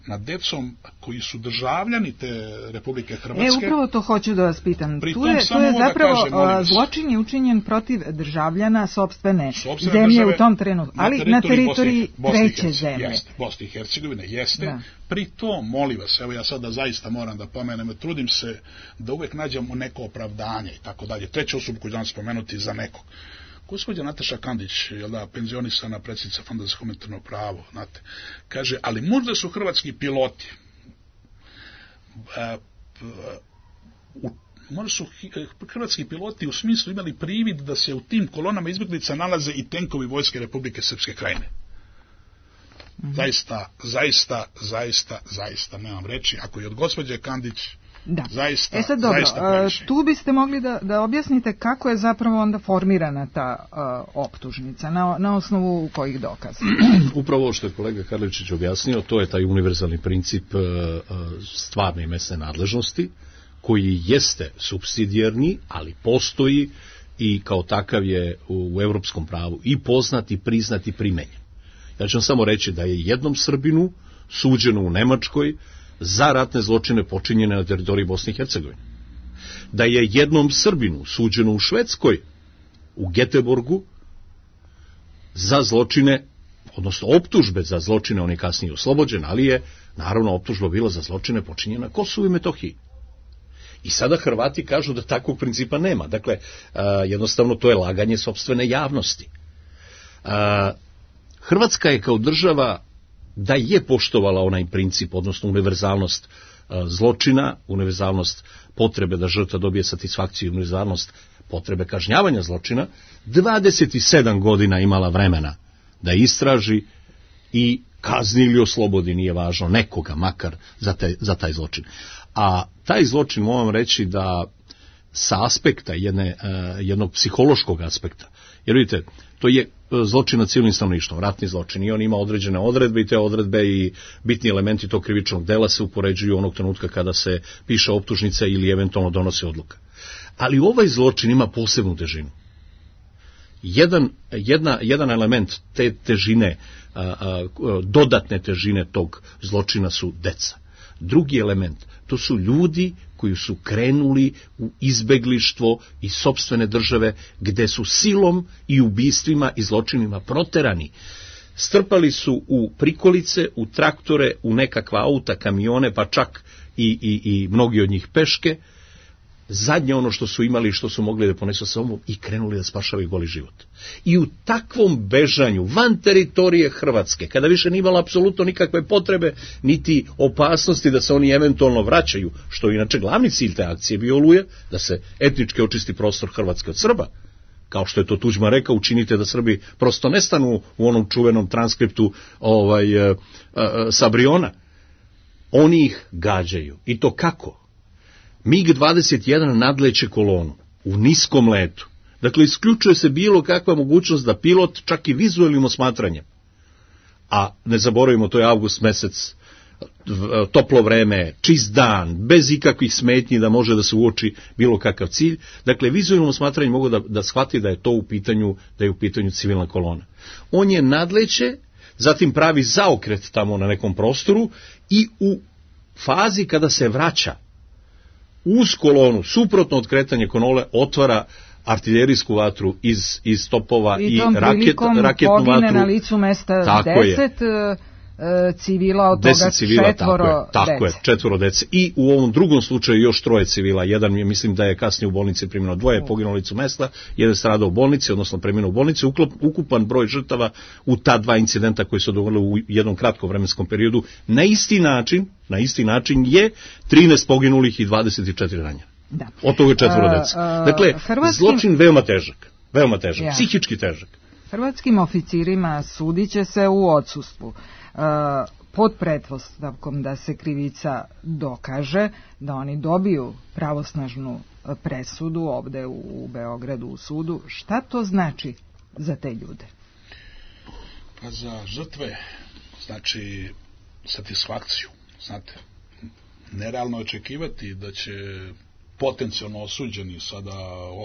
nad decom koji su državljani te Republike Hrvatske. Upravo to hoću da vas pitam. Tu je zapravo zločin je učinjen protiv državljana sopstvene zemlje u tom trenutku, ali na teritoriji treće zemlje. Bosne i Hercegovine, jeste. Da. Pri tom, molim vas, evo ja sada zaista moram da pomenem, trudim se da uvek nađemo neko opravdanje i tako dalje. Treća osoba koju ću spomenuti za nekog. Gospođa Nataša Kandić, penzionisana predsjednica Fonda za humanitarno pravo, znate, kaže, ali možda su hrvatski piloti, možda su hrvatski piloti u smislu imali privid da se u tim kolonama izbjeglica nalaze i tenkovi vojske Republike Srpske Krajine. Zaista nemam reći, ako je od gospođe Kandić. Da. Zaista, sad dobro, tu biste mogli da objasnite kako je zapravo onda formirana ta optužnica, na osnovu kojih dokaza? Upravo što je kolega Karličić objasnio, to je taj univerzalni princip stvarne i mesne nadležnosti, koji jeste supsidijarni, ali postoji i kao takav je u evropskom pravu i poznat i priznat i primenjen. Ja ću vam samo reći da je jednom Srbinu suđeno u Nemačkoj za ratne zločine počinjene na teritoriji Bosne i Hercegovine. Da je jednom Srbinu suđeno u Švedskoj, u Geteborgu, za zločine, odnosno optužbe za zločine, on je kasnije oslobođen, ali je naravno optužba bila za zločine počinjene na Kosovu i Metohiji. I sada Hrvati kažu da takvog principa nema. Dakle, jednostavno to je laganje sopstvene javnosti. Hrvatska je kao država da je poštovala onaj princip, odnosno univerzalnost zločina, univerzalnost potrebe da žrtva dobije satisfakciju, univerzalnost potrebe kažnjavanja zločina, 27 godina imala vremena da istraži i kazni ili oslobodi, nije važno, nekoga makar za taj zločin. A taj zločin, moram reći da sa aspekta jednog psihološkog aspekta, jer vidite, to je zločin nad civilnim stanovništvom, ratni zločin, i on ima određene odredbe i te odredbe i bitni elementi tog krivičnog dela se upoređuju onog trenutka kada se piše optužnica ili eventualno donosi odluka. Ali ovaj zločin ima posebnu težinu. Jedan element te težine, dodatne težine tog zločina su deca. Drugi element, to su ljudi koji su krenuli u izbeglištvo iz sopstvene države, gde su silom i ubistvima i zločinima proterani. Strpali su u prikolice, u traktore, u nekakva auta, kamione, pa čak i mnogi od njih peške, zadnje ono što su imali i što su mogli da ponesu sa sobom, i krenuli da spašavaju goli život. I u takvom bežanju van teritorije Hrvatske, kada više nije imala apsolutno nikakve potrebe niti opasnosti da se oni eventualno vraćaju, što je inače glavni cilj te akcije bio Oluja, da se etnički očisti prostor Hrvatske od Srba, kao što je to Tuđman rekao, učinite da Srbi prosto nestanu u onom čuvenom transkriptu sa Briona. Oni ih gađaju. I to kako? MiG-21 nadleće kolonu u niskom letu. Dakle, isključuje se bilo kakva mogućnost da pilot čak i vizualnim osmatranjem, a ne zaboravimo, to je avgust mesec, toplo vreme, čist dan, bez ikakvih smetnji da može da se uoči bilo kakav cilj. Dakle, vizualnim osmatranjem mogu da shvati da je to u pitanju civilna kolona. On je nadleće, zatim pravi zaokret tamo na nekom prostoru i u fazi kada se vraća uz kolonu, suprotno od kretanja kolone, otvara artiljerijsku vatru iz topova i raketnu vatru. I tom pogine na licu mesta 10 civila, od toga 4 dece. I u ovom drugom slučaju još 3 civila. Jedan je, mislim da je kasnije u bolnici preminuo, 2 je poginulo na licu mesta, jedan stradao u bolnici, odnosno preminuo u bolnici. Ukupan broj žrtava u ta 2 incidenta koji su dogodili u jednom kratkom vremenskom periodu na isti način je 13 poginulih i 24 ranjena. Da. Od toga 4 dece. Dakle, zločin veoma težak, psihički težak. Hrvatskim oficirima sudiće se u odsustvu, pod pretpostavkom da se krivica dokaže, da oni dobiju pravosnažnu presudu ovde u Beogradu u sudu. Šta to znači za te ljude? Pa za žrtve znači satisfakciju. Znate, nerealno očekivati da će potencijalno osuđeni, sada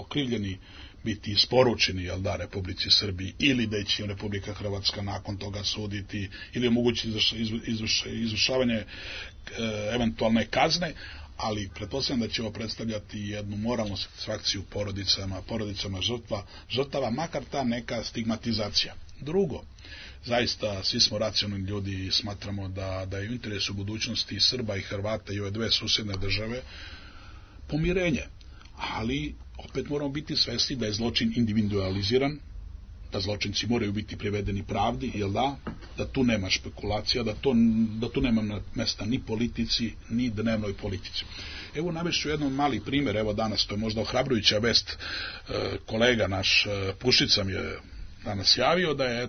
okrivljeni, biti isporučeni, jel da, Republici Srbiji, ili da će Republika Hrvatska nakon toga suditi, ili omogućiti izvršavanje eventualne kazne, ali pretpostavljam da će ovo predstavljati jednu moralnu satisfakciju porodicama žrtava, makar ta neka stigmatizacija. Drugo, zaista svi smo racionalni ljudi i smatramo da je u interesu budućnosti Srba i Hrvata i ove dve susjedne države pomirenje, ali opet moramo biti svesni da je zločin individualiziran, da zločinci moraju biti privedeni pravdi, jel da tu nema špekulacija, da tu nema mesta ni politici, ni dnevnoj politici. Evo navešću jedan mali primjer, evo danas, to je možda ohrabrujuća vest, kolega naš Pušica mi je danas javio da je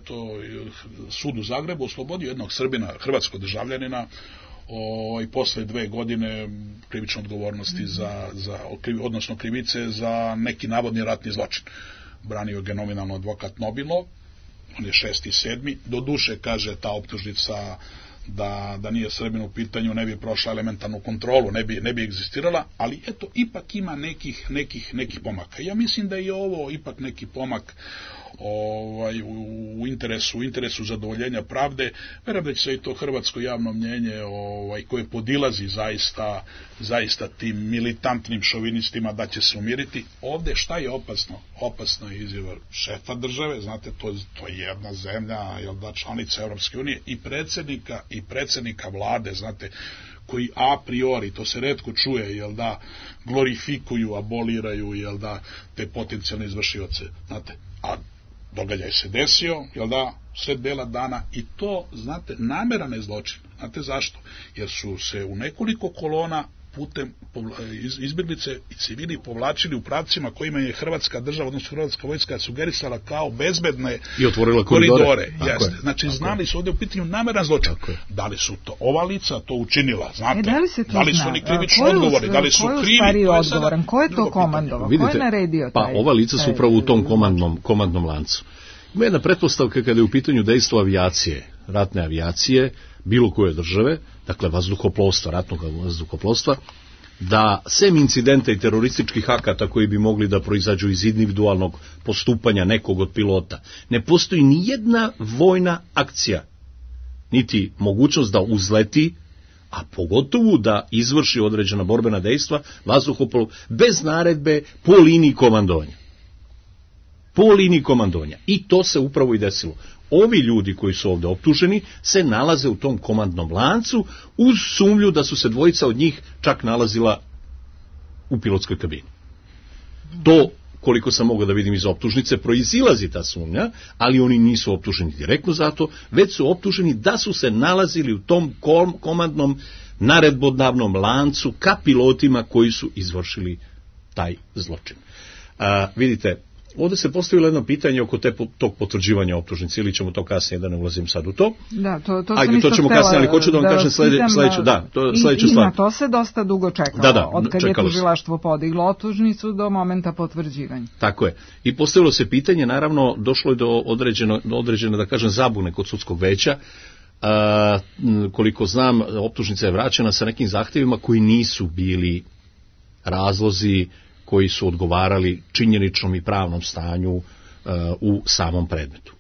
sud u Zagrebu oslobodio jednog Srbina, hrvatskog državljanina, i posle 2 godine krivične odgovornosti odnosno krivice za neki navodni ratni zločin. Branio ga nominalno advokat Nobilo, on je 6.7. Do duše, kaže, ta optužnica da nije Srbin u pitanju ne bi prošla elementarnu kontrolu, ne bi egzistirala, ali eto, ipak ima nekih pomaka. Ja mislim da je ovo ipak neki pomak u interesu zadovoljenja pravde. Verujem da će se i to hrvatsko javno mnjenje koje podilazi zaista tim militantnim šovinistima, da će se umiriti. Ovde šta je opasno? Opasno je izjava šefa države, znate, to je jedna zemlja, članica Europske unije, i predsjednika vlade, znate, koji a priori, to se retko čuje, glorifikuju, aboliraju, te potencijalne izvršioce, znate, a događaj se desio, sred bela dana, i to, znate, nameran je zločin. Znate zašto? Jer su se u nekoliko kolona putem izbjeglice i civili povlačili u pravcima kojima je Hrvatska država, odnosno Hrvatska vojska, sugerisala kao bezbedne i otvorila koridore. Znači, znali su ovdje u pitanju nameran zločin. Da li su to ova lica to učinila, znate? Da li su oni krivično odgovorni, da li su krivi? Ko je to komandovao? Ko je naredio taj? Pa ova lica su upravo u tom komandnom lancu. Ima jedna pretpostavka kada je u pitanju dejstvo avijacije, ratne avijacije, bilo koje države, dakle vazduhoplovstva, ratnog vazduhoplovstva, da sem incidenta i terorističkih akata koji bi mogli da proizađu iz individualnog postupanja nekog od pilota, ne postoji ni jedna vojna akcija, niti mogućnost da uzleti, a pogotovo da izvrši određena borbena dejstva vazduhoplov bez naredbe po liniji komandovanja. I to se upravo i desilo. Ovi ljudi koji su ovdje optuženi se nalaze u tom komandnom lancu uz sumnju da su se dvojica od njih čak nalazila u pilotskoj kabini. To, koliko sam mogao da vidim iz optužnice, proizilazi ta sumnja, ali oni nisu optuženi direktno zato, već su optuženi da su se nalazili u tom komandnom naredbodavnom lancu ka pilotima koji su izvršili taj zločin. Vidite, ovdje se postavilo jedno pitanje oko tog potvrđivanja optužnice, ili ćemo to kasnije, da ne ulazim sad u to. Da, to ćemo kasnije, ali hoću da vam kažem sledeću stvar. I na to se dosta dugo čekalo, od kad je tužilaštvo podiglo optužnicu do momenta potvrđivanja. Tako je. I postavilo se pitanje, naravno, došlo je do određene, da kažem, zabune kod sudskog veća. Koliko znam, optužnica je vraćena sa nekim zahtjevima koji nisu bili razlozi koji su odgovarali činjeničnom i pravnom stanju u samom predmetu.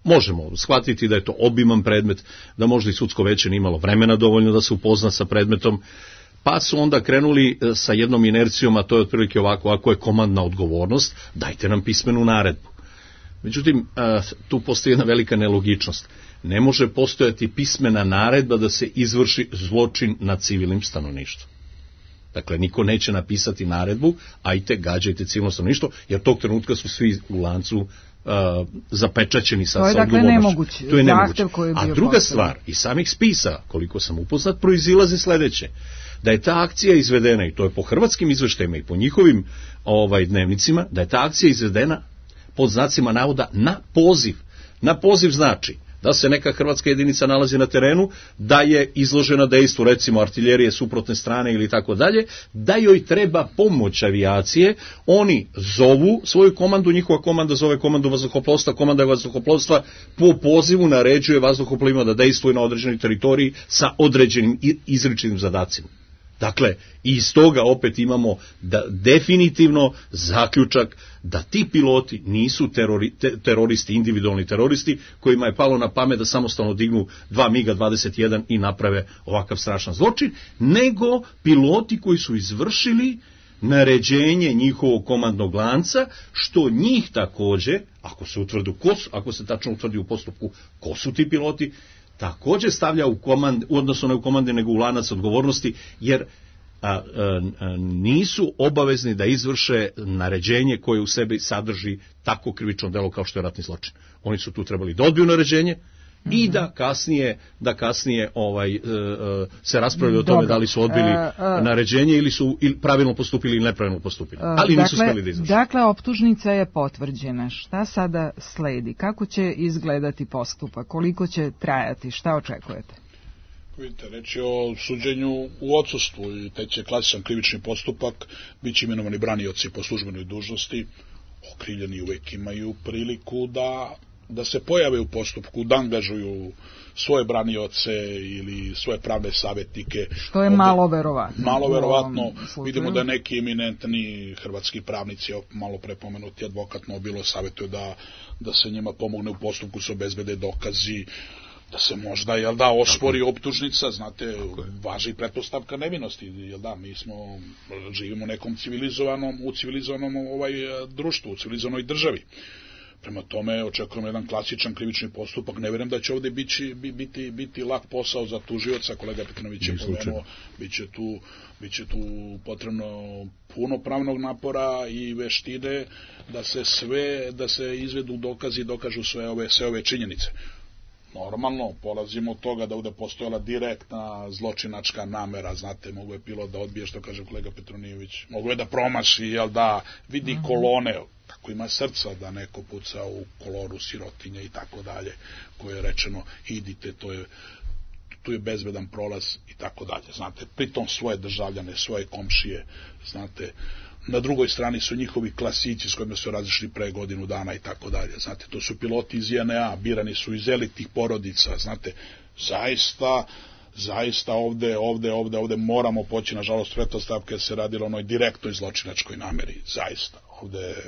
Možemo shvatiti da je to obiman predmet, da možda i sudsko veće nije imalo vremena dovoljno da se upozna sa predmetom, pa su onda krenuli sa jednom inercijom, a to je otprilike ovako, ako je komandna odgovornost, dajte nam pismenu naredbu. Međutim, tu postoji jedna velika nelogičnost. Ne može postojati pismena naredba da se izvrši zločin nad civilnim stanovništvom. Dakle, niko neće napisati naredbu, ajte, gađajte civilno stanovništvo, jer tog trenutka su svi u lancu zapečaćeni sa odgovornošću. To je dakle nemoguće. To je nemoguće. A druga stvar, iz samih spisa, koliko sam upoznat, proizilazi sledeće. Da je ta akcija izvedena, i to je po hrvatskim izveštajima i po njihovim dnevnicima, da je ta akcija izvedena pod znacima navoda na poziv. Na poziv znači da se neka hrvatska jedinica nalazi na terenu, da je izložena dejstvu, recimo artiljerije suprotne strane ili tako dalje, da joj treba pomoć avijacije, oni zovu svoju komandu, njihova komanda zove komandu vazduhoplovstva, komanda vazduhoplovstva po pozivu naređuje vazduhoplovima da dejstvuju na određenoj teritoriji sa određenim izričitim zadacima. Dakle, iz toga opet imamo da definitivno zaključak da ti piloti nisu teroristi, individualni teroristi, kojima je palo na pamet da samostalno dignu 2 MiG-21 i naprave ovakav strašan zločin, nego piloti koji su izvršili naređenje njihovog komandnog lanca, što njih takođe, ako se tačno utvrdi u postupku ko su ti piloti, takođe stavlja u odnosno ne u komande, nego u lanac odgovornosti, jer nisu obavezni da izvrše naređenje koje u sebi sadrži tako krivično delo kao što je ratni zločin. Oni su tu trebali da odbiju naređenje i da kasnije se raspravlja o tome da li su odbili naređenje ili su pravilno postupili ili nepravilno postupili. Ali nisu smeli da izvrše. Dakle, optužnica je potvrđena. Šta sada sledi? Kako će izgledati postupak? Koliko će trajati? Šta očekujete? Vidite, reč je o suđenju u odsustvu i teče klasičan krivični postupak, bit će imenovani branioci po službenoj dužnosti, okrivljeni uvek imaju priliku da se pojave u postupku, da angažuju svoje branioce ili svoje pravne savjetnike. Što je malo verovatno. Malo verovatno. Vidimo da neki eminentni hrvatski pravnici, malo prepomenuti advokat Nobilo, savjetuje da se njima pomogne u postupku, se obezbede dokazi, da se možda, ospori optužnica, znate, važi pretpostavka nevinosti, mi živimo u nekom civilizovanom društvu, u civilizovanoj državi. Prema tome, očekujemo jedan klasičan krivični postupak. Ne vjerujem da će ovdje biti lak posao za tužioca, kolega Petrinović je pomenuo, bit će tu potrebno puno pravnog napora i veštine da se izvedu dokazi i dokažu sve ove činjenice. Normalno, polazimo od toga da ovdje postojala direktna zločinačka namera, znate, mogu je pilot da odbije, što kaže kolega Petronijević, mogu je da promaši, vidi kolone, kako ima srca da neko puca u kolonu sirotinje i tako dalje, koje je rečeno, idite, tu je bezbedan prolaz i tako dalje, znate, pritom svoje državljane, svoje komšije, znate, na drugoj strani su njihovi klasici s kojima su razišli pre godinu dana i tako dalje. Znate, to su piloti iz JNA, birani su iz elitnih porodica, znate, zaista ovde moramo poći, nažalost, pretpostavke se radilo o onoj direktnoj zločinačkoj nameri, zaista.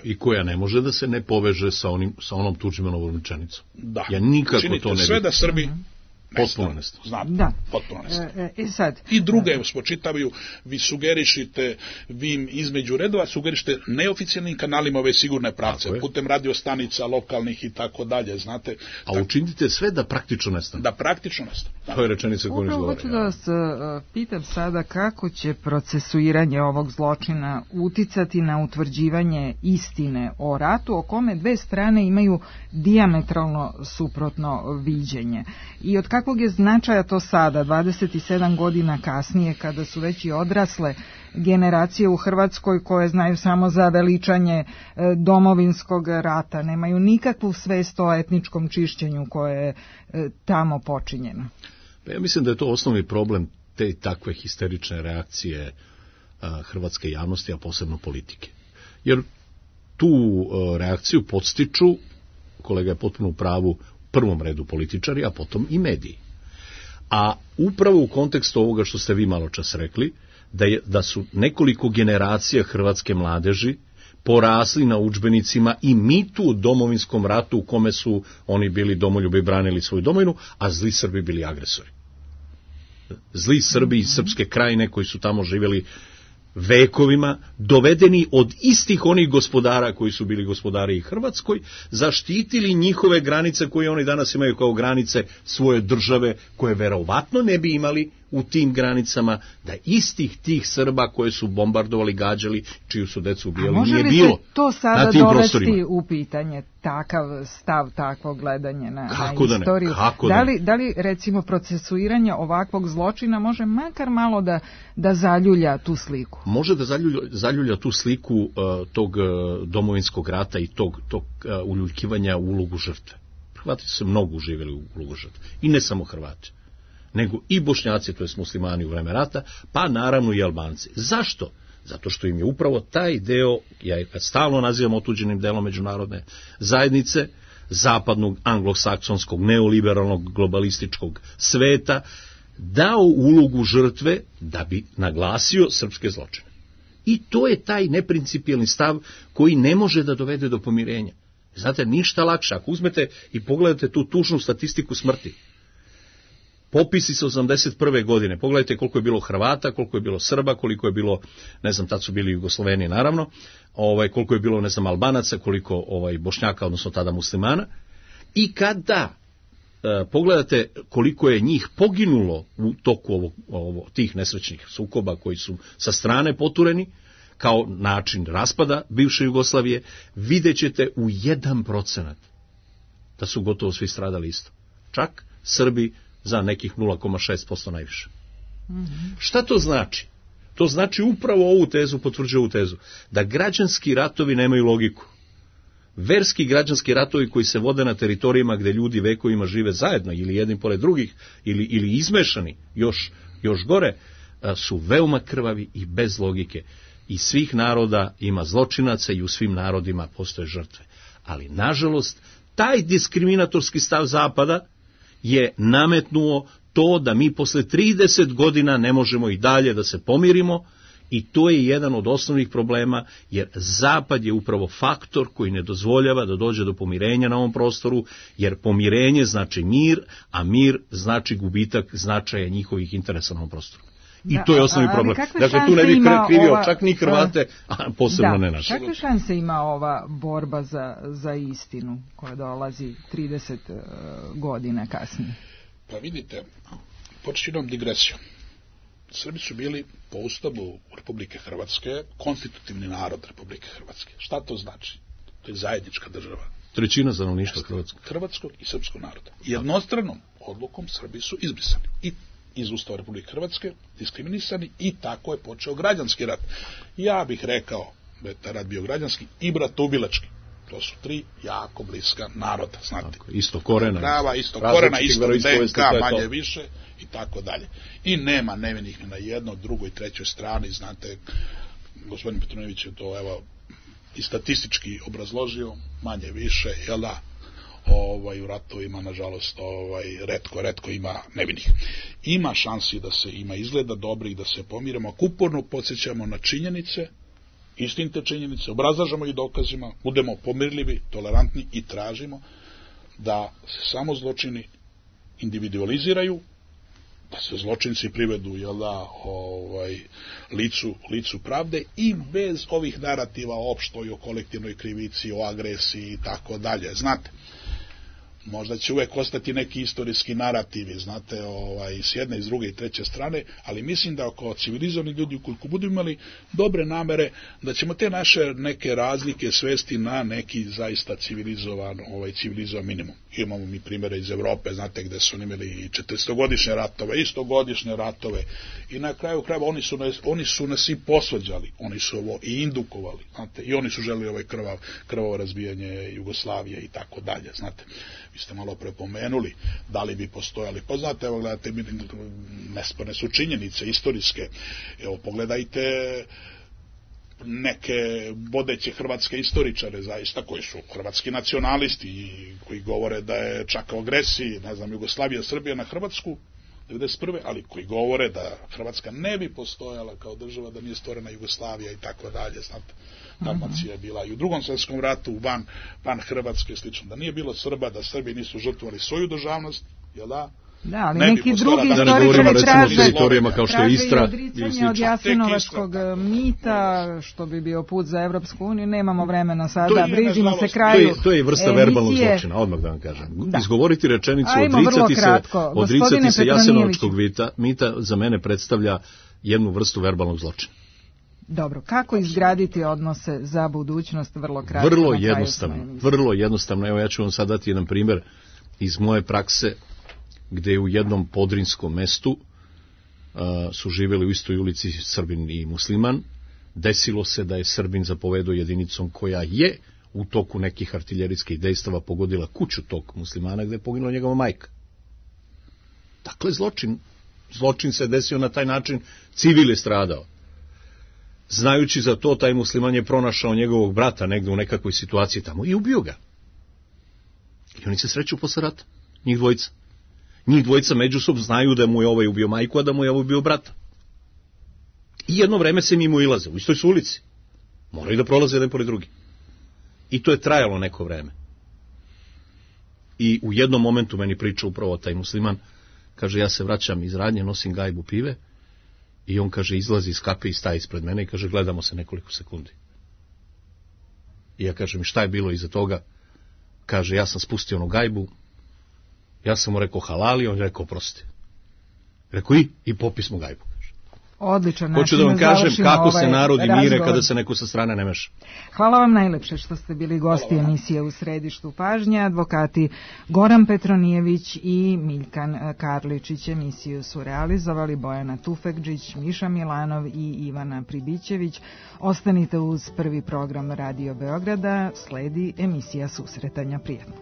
I koja ne može da se ne poveže sa onom Tudžmanovom rečenicom. Da, ja nikako činite to ne sve da Srbi potpuno nestane. Znate, potpuno nestane. I druge spočitavaju, vi sugerišite, vi između redova sugerišite neoficijalnim kanalima ove sigurne pravce, putem radiostanica lokalnih i tako dalje, znate. A učinite sve da praktično nestane. Da praktično nestane. To je rečenica koju izgovara. Hoću da vas pitam sada kako će procesuiranje ovog zločina uticati na utvrđivanje istine o ratu, o kome dve strane imaju dijametralno suprotno viđenje. I od kakvog je značaja to sada, 27 godina kasnije, kada su već i odrasle generacije u Hrvatskoj koje znaju samo za veličanje domovinskog rata, nemaju nikakvu svest o etničkom čišćenju koje je tamo počinjeno? Pa ja mislim da je to osnovni problem te takve histerične reakcije hrvatske javnosti, a posebno politike. Jer tu reakciju podstiču, kolega je potpuno u pravu, u prvom redu političari, a potom i mediji. A upravo u kontekstu ovoga što ste vi malo čas rekli, da su nekoliko generacija hrvatske mladeži porasli na udžbenicima i mitu o domovinskom ratu u kome su oni bili domoljubi i branili svoju domovinu, a zli Srbi bili agresori. Zli Srbi iz Srpske krajine koji su tamo živjeli vekovima, dovedeni od istih onih gospodara koji su bili gospodari i Hrvatskoj, zaštitili njihove granice koje oni danas imaju kao granice svoje države, koje verovatno ne bi imali u tim granicama, da istih tih Srba koje su bombardovali, gađali, čiju su decu ubijali, nije bilo na tim prostorima. Može li se to sada dovesti u pitanje, takav stav, takvo gledanje na istoriju? Da li recimo procesuiranje ovakvog zločina može makar malo da zaljulja tu sliku? Može da zaljulja tu sliku tog domovinskog rata i tog uljuljkivanja u ulogu žrtve. Hrvati su mnogo uživjeli u ulogu žrtve. I ne samo Hrvati, nego i Bošnjaci, to jest muslimani u vreme rata, pa naravno i Albanci. Zašto? Zato što im je upravo taj deo, ja ga stalno nazivam otuđenim delom međunarodne zajednice, zapadnog, anglosaksonskog, neoliberalnog, globalističkog sveta, dao ulogu žrtve da bi naglasio srpske zločine. I to je taj neprincipijelni stav koji ne može da dovede do pomirenja. Znate, ništa lakše. Ako uzmete i pogledate tu tužnu statistiku smrti, popisi sa 81. godine, pogledajte koliko je bilo Hrvata, koliko je bilo Srba, koliko je bilo, ne znam, tad su bili Jugosloveni naravno, koliko je bilo, ne znam, Albanaca, koliko Bošnjaka, odnosno tada muslimana, i kada pogledate koliko je njih poginulo u toku tih nesrećnih sukoba koji su sa strane potureni, kao način raspada bivše Jugoslavije, vidjet ćete u 1% da su gotovo svi stradali isto. Čak Srbi za nekih 0,6% najviše. Šta to znači? To znači upravo ovu tezu, potvrđuje ovu tezu, da građanski ratovi nemaju logiku. Verski građanski ratovi koji se vode na teritorijima gde ljudi vekovima žive zajedno ili jedni pored drugih ili izmešani, još gore, su veoma krvavi i bez logike. I svih naroda ima zločinaca i u svim narodima postoje žrtve. Ali, nažalost, taj diskriminatorski stav Zapada je nametnuo to da mi posle 30 godina ne možemo i dalje da se pomirimo, i to je jedan od osnovnih problema, jer Zapad je upravo faktor koji ne dozvoljava da dođe do pomirenja na ovom prostoru, jer pomirenje znači mir, a mir znači gubitak značaja njihovih interesa na ovom prostoru. I to je osnovni problem. Dakle, tu ne bih krivio čak ni Hrvate, a posebno ne naše. Kakve šanse ima ova borba za istinu koja dolazi 30 godina kasnije? Pa vidite, počinjom digresijom. Srbi su bili po Ustavu Republike Hrvatske konstitutivni narod Republike Hrvatske. Šta to znači? To je zajednička država. Trećina stanovništva hrvatskog i srpskog naroda. Jednostranom odlukom Srbi su izbrisani i iz Ustava Republike Hrvatske, diskriminisani, i tako je počeo građanski rat. Ja bih rekao da je taj rat bio građanski i bratoubilački. To su tri jako bliska naroda, znate. Isto korena. Prava, isto korena, isto DNK, manje više i tako dalje. I nema nevinih ni na jednoj, drugoj, trećoj strani, znate, gospodin Petrović je to i statistički obrazložio, manje više, jel da? U ratovima, nažalost, retko ima nevinih. Ima šansi da se ima izgleda dobrih, da se pomiramo, ako uporno podsjećamo na činjenice, istinite činjenice, obrazlažemo ih dokazima, budemo pomirljivi, tolerantni i tražimo da se samo zločini individualiziraju, da se zločinci privedu, jel da, licu pravde, i bez ovih narativa o opštoj, o kolektivnoj krivici, o agresiji i tako dalje. Znate, možda će uvek ostati neki istorijski narativi, znate, s jedne, s druge i treće strane, ali mislim da kao civilizovani ljudi, ukoliko budu imali dobre namere, da ćemo te naše neke razlike svesti na neki zaista civilizovan minimum. Imamo mi primjere iz Evrope, znate, gde su imali i 400-godišnje ratove, i 100-godišnje ratove, i na kraju krajeva oni su nas i posvađali, oni su ovo i indukovali, znate, i oni su želeli krvavo razbijanje Jugoslavije i tako dalje, znate. Vi ste malo prepomenuli da li bi postojali. Pa znate, evo gledajte, nesporne su činjenice istorijske. Evo pogledajte neke vodeće hrvatske istoričare, zaista, koji su hrvatski nacionalisti i koji govore da je čak o agresiji, ne znam, Jugoslavija, Srbija na Hrvatsku 1991. ali koji govore da Hrvatska ne bi postojala kao država da nije stvorena Jugoslavija i tako dalje, znate. Dalmacija je bila i u Drugom svjetskom ratu van Hrvatske, slično, da nije bilo Srba, da Srbi nisu žrtvovali svoju državnost, jel da? Da, ali neki drugi istoričari traže odricanje od Jasenovačkog mita, što bi bio put za Evropsku uniju. Nemamo vremena sada, bližimo se kraju. To je vrsta verbalnog zločina, odmah da vam kažem. Izgovoriti rečenicu, odricati se Jasenovačkog mita za mene predstavlja jednu vrstu verbalnog zločina. Dobro, kako izgraditi odnose za budućnost? Vrlo kratko. Vrlo jednostavno. Evo, ja ću vam sad dati jedan primjer iz moje prakse, gde je u jednom podrinskom mestu su živjeli u istoj ulici Srbin i musliman. Desilo se da je Srbin zapovedao jedinicom koja je u toku nekih artiljerijskih dejstava pogodila kuću tog muslimana gde je poginula njegova majka. Dakle, zločin se desio na taj način, civil je stradao. Znajući za to, taj musliman je pronašao njegovog brata negde u nekakvoj situaciji tamo i ubio ga. I oni se sreću posle rata, njih dvojica. Njih dvojica međusobno znaju da mu je ovaj ubio majku, a da mu je ovaj ubio brata. I jedno vreme se mimo ilaze, u istoj su ulici. Moraju da prolaze jedan pored drugi. I to je trajalo neko vreme. I u jednom momentu meni priča upravo taj musliman, kaže, ja se vraćam iz radnje, nosim gajbu pive, i on, kaže, izlazi iz kape i staje ispred mene i kaže, gledamo se nekoliko sekundi. I ja kažem, šta je bilo iza toga? Kaže, ja sam spustio onu gajbu, ja sam mu rekao halali, on je rekao prosti. Rekao i popismo gajbu. Odličan način. Hoću da vam kažem kako se narodi mire kada se neko sa strane ne meša. Hvala vam najlepše što ste bili gosti emisije U središtu pažnje. Advokati Goran Petronijević i Miljkan Karličić. Emisiju su realizovali Bojana Tufekđić, Miša Milanov i Ivana Pribićević. Ostanite uz prvi program Radio Beograda. Sledi emisija Susretanja. Prijatno.